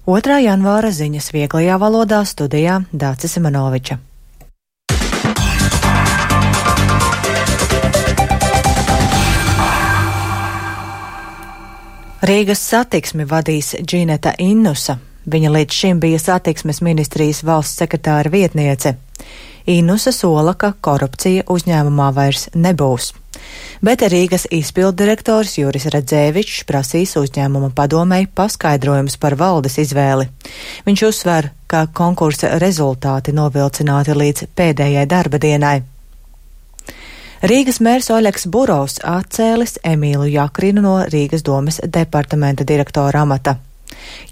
2. janvāra ziņas vieglajā valodā, studijā Dācis Simanoviča. Rīgas satiksmi vadīs Džineta Innusa. Viņa līdz šim bija satiksmes ministrijas valsts sekretāra vietniece. Innusa sola, ka korupcija uzņēmumā vairs nebūs. Bet Rīgas izpilddirektors Juris Radzēvičs prasīs uzņēmuma padomei paskaidrojumus par valdes izvēli. Viņš uzsver, ka konkursa rezultāti novilcināti līdz pēdējai darba dienai. Rīgas mērs Oļegs Burovs atcēlis Emīlu Jakrinu no Rīgas domes departamenta direktora amata.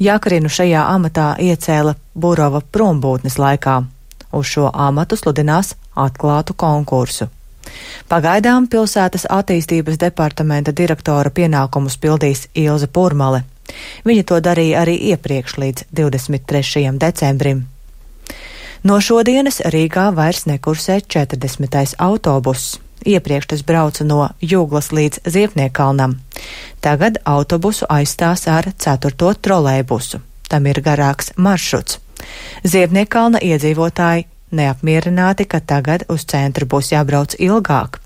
Jakrinu šajā amatā iecēla Burova prombūtnes laikā. Uz šo amatu sludinās atklātu konkursu. Pagaidām pilsētas attīstības departamenta direktora pienākumus pildīs Ilze Purmale. Viņa to darīja arī iepriekš līdz 23. decembrim. No šodienas Rīgā vairs nekursē 40. autobuss. Iepriekš tas brauca no Jūglas līdz Ziepniekalnam. Tagad autobusu aizstās ar 4. trolejbusu. Tam ir garāks maršruts. Ziepniekalna iedzīvotāji neapmierināti, ka tagad uz centru būs jābrauc ilgāk.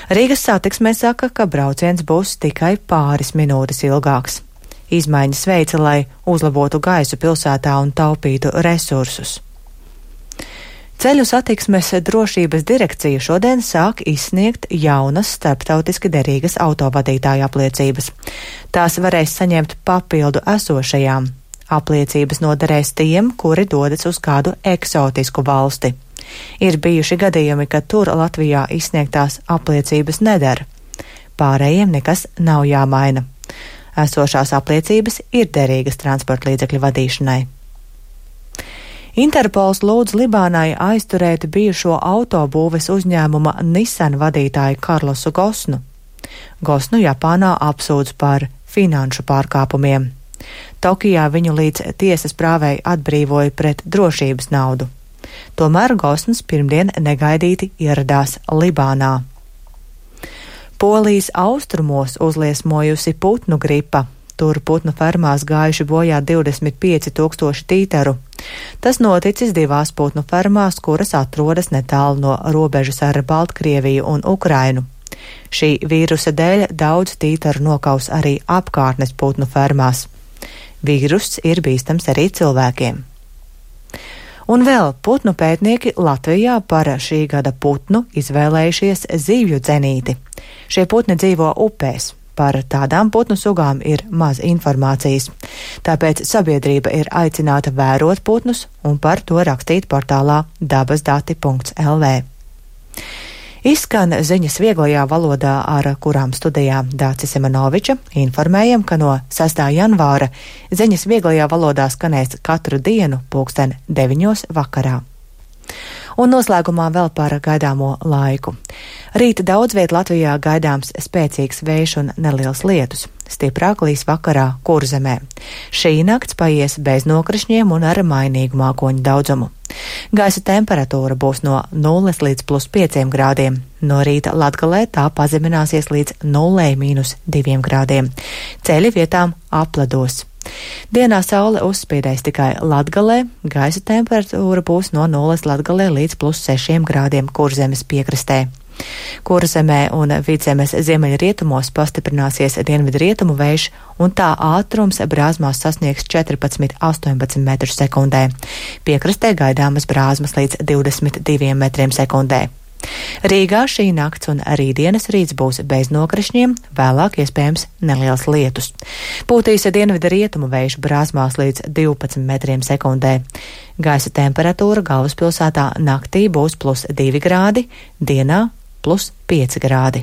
Rīgas satiksmē saka, ka brauciens būs tikai pāris minūtes ilgāks. Izmaiņas veica, lai uzlabotu gaisu pilsētā un taupītu resursus. Ceļu satiksmes drošības direkcija šodien sāk izsniegt jaunas starptautiski derīgas autovadītāju apliecības. Tās varēs saņemt papildu esošajām. Apliecības noderēs tiem, kuri dodas uz kādu eksotisku valsti. Ir bijuši gadījumi, ka tur Latvijā izsniegtās apliecības nedara. Pārējiem nekas nav jāmaina. Esošās apliecības ir derīgas transporta līdzekļu vadīšanai. Interpols lūdz Libānai aizturēt bijušo autobūves uzņēmuma Nissan vadītāju Karlosu Gosnu. Gosnu Japānā apsūdz par finanšu pārkāpumiem. Tokijā viņu līdz tiesas prāvei atbrīvoja pret drošības naudu. Tomēr Gosns pirmdien negaidīti ieradās Libānā. Polijas austrumos uzliesmojusi putnu gripa. Tur putnu fermās gājuši bojā 25,000 tīteru. Tas noticis 2 putnu fermās, kuras atrodas netālu no robežas ar Baltkrieviju un Ukrainu. Šī vīrusa dēļ daudz tīteru nokaus arī apkārtnes putnu fermās. Vīruss ir bīstams arī cilvēkiem. Un vēl putnu pētnieki Latvijā par šī gada putnu izvēlējušies zivju dzenīti. Šie putni dzīvo upēs. Par tādām putnu sugām ir maz informācijas. Tāpēc sabiedrība ir aicināta vērot putnus un par to rakstīt portālā dabasdati.lv. Izskan ziņas vieglajā valodā, ar kurām studijā Dācis Simanoviča. Informējam, ka no 6. janvāra ziņas vieglajā valodā skanēs katru dienu 9:00 vakarā. Un noslēgumā vēl par gaidāmo laiku. Rīta daudz viet Latvijā gaidāms spēcīgs vējš un neliels lietus. Stiprāk līs vakarā Kurzemē. Šī nakts paies bez nokrišņiem un ar mainīgu mākoņu daudzumu. Gaisa temperatūra būs no 0 līdz +5 grādiem. No rīta Latgalē tā pazemināsies līdz 0–2 grādiem. Ceļi vietām apledos. Dienā saule uzspīdēs tikai Latgalē, gaisa temperatūra būs no 0 Latgalē līdz +6 grādiem Kurzemes piekrastē. Kurzemē un Vidzemes ziemeļrietumos pastiprināsies dienvidrietumu vējš, un tā ātrums brāzmās sasniegs 14–18 metrus sekundē. Piekrastē gaidāmas brāzmas līdz 22 metriem sekundē. Rīgā šī nakts un rītdienas rīts būs bez nokrišņiem, vēlāk iespējams neliels lietus. Pūtīs dienvidu rietumu vējš brāzmās līdz 12 metriem sekundē. Gaisa temperatūra galvaspilsētā naktī būs +2 grādi, dienā +5 grādi.